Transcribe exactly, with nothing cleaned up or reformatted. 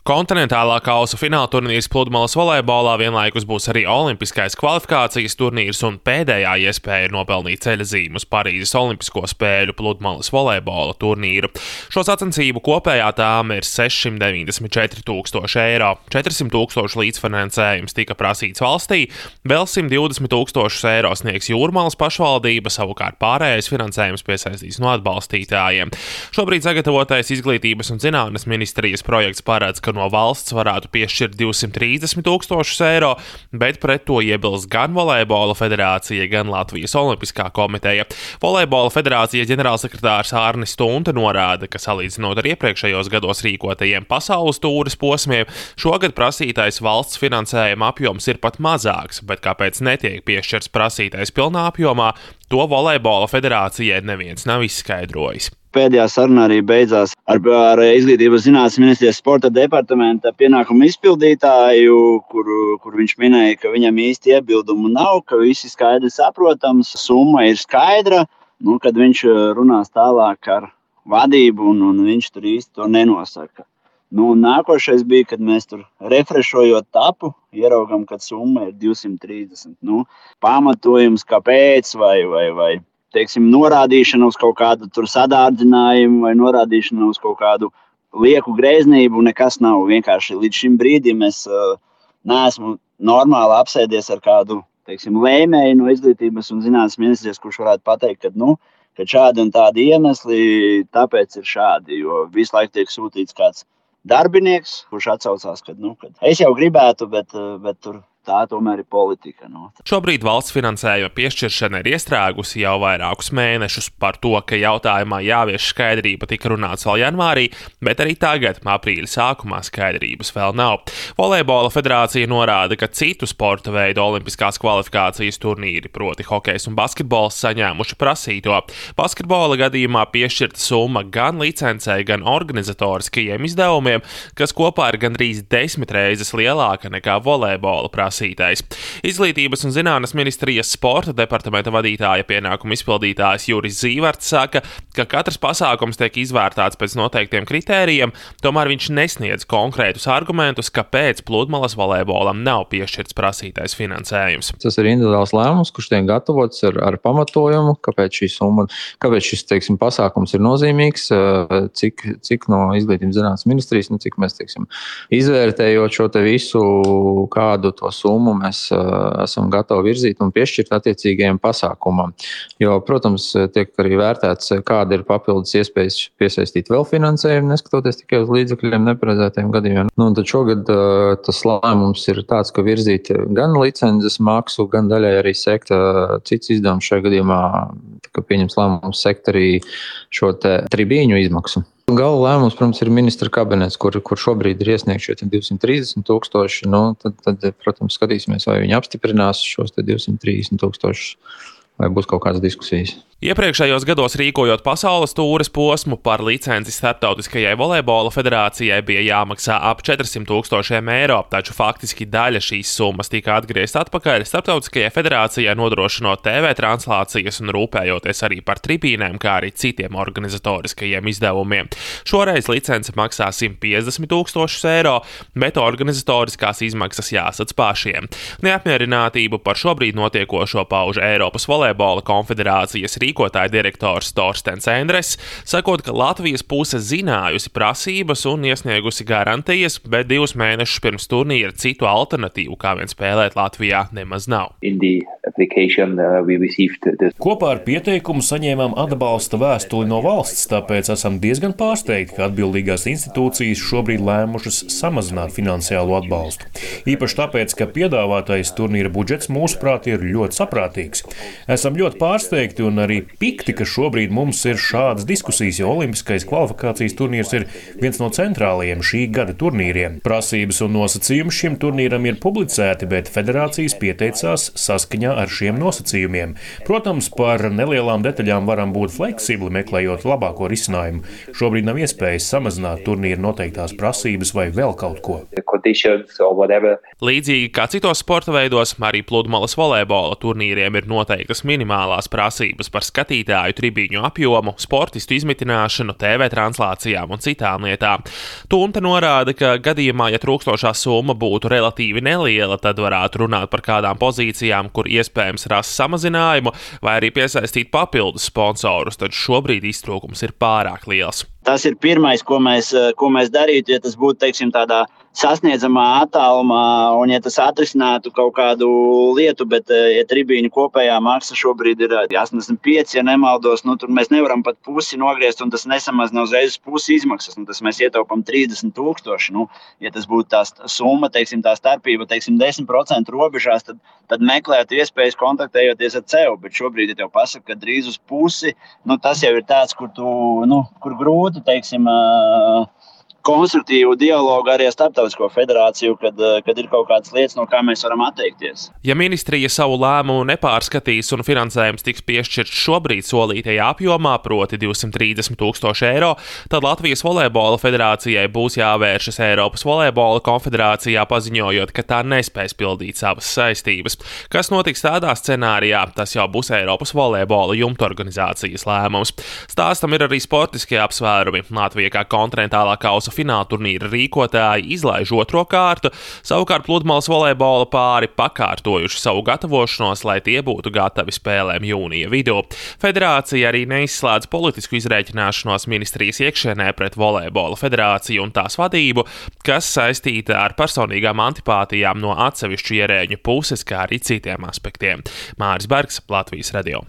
Kontinentālā kausa fināla turnīrs pludmales volejbolā vienlaikus būs arī olimpiskais kvalifikācijas turnīrs un pēdējā iespēja nopelnīt ceļazīmu uz Parīzes olimpisko spēļu pludmales volejbola turnīru. Šo sacensību kopējā tāma ir sešsimt deviņdesmit četri tūkstoši eiro. četrsimt tūkstoši līdzfinansējums tika prasīts valstī, vēl simt divdesmit tūkstošus eiro sniegs Jūrmalas pašvaldība, savukārt pārējais finansējums piesaistīs no atbalstītājiem. Šobrīd sagatavotais Izglītības un zinātnes ministrijas projekts paredz, ka no valsts varētu piešķirt divsimt trīsdesmit tūkstošus eiro, bet pret to iebilst gan Volejbola federācija, gan Latvijas olimpiskā komiteja. Volejbola federācijas ģenerālsekretārs Ārnis Stunte norāda, ka salīdzinot ar iepriekšējos gados rīkotajiem pasaules tūres posmiem, šogad prasītais valsts finansējuma apjoms ir pat mazāks, bet kāpēc netiek piešķirts prasītais pilnā apjomā, to Volejbola federācijai neviens nav izskaidrojis. Pēdējā saruna arī beidzās ar, ar Izglītības zinātnes ministrijas sporta departamenta pienākumu izpildītāju, kur, kur viņš minēja, ka viņam īsti iebildumu nav, ka visi skaidri saprotams, summa ir skaidra, nu, kad viņš runās tālāk ar vadību un, un viņš tur īsti to nenosaka. Nu, nākošais bija, kad mēs tur refrešojot tapu, ieraugam, ka summa ir divsimt trīsdesmit. Nu, pamatojums, kāpēc vai, vai, vai teiksim, norādīšana uz kaut kādu tur sadārdzinājumu vai norādīšana uz kaut kādu lieku greznību nekas nav. Vienkārši līdz šim brīdim es uh, neesmu normāli apsēdies ar kādu, teiksim, lēmēju no Izglītības un zinātnes ministrijas, kurš varētu pateikt, ka, nu, ka šādi un tādi iemesli, tāpēc ir šādi, jo visu laiku tiek sūtīts kāds darbinieks, kurš atsaucās, ka, nu, kad es jau gribētu, bet, bet tur tā tomēr ir politika. No. Šobrīd valsts finansējuma piešķiršana ir iestrēgusi jau vairākus mēnešus. Par to, ka jautājumā jāvieš skaidrība, tika runāts vēl janvārī, bet arī tagad, aprīļa sākumā, skaidrības vēl nav. Volejbola federācija norāda, ka citu sporta veidu olimpiskās kvalifikācijas turnīri, proti hokejs un basketbols, saņēmuši prasīto. Basketbola gadījumā piešķirta summa gan licencei, gan organizatoriskajiem izdevumiem, kas kopā ir gandrīz desmit reizes lielāka nekā volejbola prasība. Izglītības un zinātnes ministrijas sporta departamenta vadītāja pienākumu izpildītājs Juris Zīverts saka, ka katrs pasākums tiek izvērtāts pēc noteiktiem kritērijiem, tomēr viņš nesniedz konkrētus argumentus, kāpēc pludmales volejbolam nav piešķirts prasītais finansējums. Tas ir individuāls lēmums, kurš tiek gatavots ar, ar pamatojumu, kāpēc šī summa, kāpēc šis, teiksim, pasākums ir nozīmīgs, cik, cik no Izglītības zinātnes ministrijas, nu, cik mēs, teiksim, izvērtējot šo te visu, kādu to summu mēs uh, esam gatavi virzīt un piešķirt attiecīgajiem pasākumam. Jo, protams, tiek arī vērtēts, kāda ir papildus iespējas piesaistīt vēl finansējumu, neskatoties tikai uz līdzekļiem neparedzētajiem gadījumiem. Nu, un tad šogad uh, tas lēmums ir tāds, ka virzīt gan licences maksu, gan daļai arī sekt uh, cits izdevums šajā gadījumā, ka pieņems lēmums sekt arī šo te tribīņu izmaksu. Gala lēmums, protams, ir ministra kabinets, kur, kur šobrīd ir iesniegts šie divsimt trīsdesmit tūkstoši. Nu, tad, tad, protams, skatīsimies, vai viņi apstiprinās šos divsimt trīsdesmit tūkstošus, vai būs kaut kādas diskusijas. Iepriekšējos gados rīkojot pasaules tūres posmu, par licenci Startautiskajai volejbola federācijai bija jāmaksā ap četrsimt tūkstošiem eiro, taču faktiski daļa šīs summas tika atgriezta atpakaļ Startautiskajai federācijai, nodrošinot T V translācijas un rūpējoties arī par tribīnēm, kā arī citiem organizatoriskajiem izdevumiem. Šoreiz licence maksā simt piecdesmit tūkstošus eiro, bet organizatoriskās izmaksas jāsadz pašiem. Neapmierinātību par šobrīd notiekošo pauž Eiropas volejbola konfederācijas rīkotāja direktors Torstens Endres, sakot, ka Latvijas puse zinājusi prasības un iesniegusi garantijas, bet divus mēnešus pirms turnīra citu alternatīvu, kā vien spēlēt Latvijā, nemaz nav. Kopā ar pieteikumu saņēmām atbalsta vēstuli no valsts, tāpēc esam diezgan pārsteigti, ka atbildīgās institūcijas šobrīd lēmušas samazināt finansiālo atbalstu. Īpaši tāpēc, ka piedāvātais turnīra budžets mūsuprāt ir ļoti saprātīgs. Esam ļoti pārsteigti un arī pikti, ka šobrīd mums ir šādas diskusijas, jo olimpiskais kvalifikācijas turnīrs ir viens no centrālajiem šī gada turnīriem. Prasības un nosacījumi šim turnīram ir publicēti, bet federācijas pieteicās saskaņā ar šiem nosacījumiem. Protams, par nelielām detaļām varam būt fleksibli, meklējot labāko risinājumu. Šobrīd nav iespējas samazināt turnīra noteiktās prasības vai vēl kaut ko. Līdzīgi kā citos sporta veidos, arī pludmales volejbola turnīriem ir noteiktas minimālās prasības par skatītāju tribīņu apjomu, sportistu izmitināšanu, T V translācijām un citām lietām. Tunta norāda, ka gadījumā, ja trūkstošā summa būtu relatīvi neliela, tad varētu runāt par kādām pozīcijām, kur iespējams rast samazinājumu vai arī piesaistīt papildus sponsorus, tad šobrīd iztrūkums ir pārāk liels. Tas ir pirmais, ko mēs, ko mēs darītu, ja tas būtu, teiksim, tādā sasniedzamā attālumā un ja tas atrisinātu kaut kādu lietu, bet ja tribīņu kopējā maksa šobrīd ir astoņdesmit pieci, ja nemaldos, nu tur mēs nevaram pat pusi nogriezt un tas nesamazina uzreiz pusi izmaksas, nu tas mēs ietaupam trīsdesmit tūkstoši, nu, ja tas būtu tā summa, teiksim, tā starpība, teiksim, desmit procentu robežās, tad, tad meklētu iespējas kontaktējoties ar C E U, bet šobrīd, ja tev pasaka, ka drīz uz pusi, nu tas jau ir tāds, kur tu, nu, kur grūti, teiksim, konstruktīvu dialogu arī ar Starptautisko federāciju, kad, kad ir kaut kādas lietas, no kā mēs varam atteikties. Ja ministrija savu lēmumu nepārskatīs un finansējums tiks piešķirts šobrīd solītajā apjomā, proti divsimt trīsdesmit tūkstoši eiro, tad Latvijas volejbola federācijai būs jāvēršas Eiropas volejbola konfederācijā, paziņojot, ka tā nespēs pildīt savas saistības. Kas notiks tādā scenārijā, tas jau būs Eiropas volejbola jumta organizācijas lēmums. Stāstam ir arī sportiskie apsvērumi. Latvija kā kontinentālā kausa fināla turnīra rīkotāji izlaiž otro kārtu, savukārt pludmales volejbola pāri pakārtojuši savu gatavošanos, lai tie būtu gatavi spēlēm jūnija vidū. Federācija arī neizslēdz politisku izrēķināšanos ministrijas iekšienē pret volejbola federāciju un tās vadību, kas saistīta ar personīgām antipātijām no atsevišķu ierēģu puses, kā arī citiem aspektiem. Māris Bergs, Latvijas radio.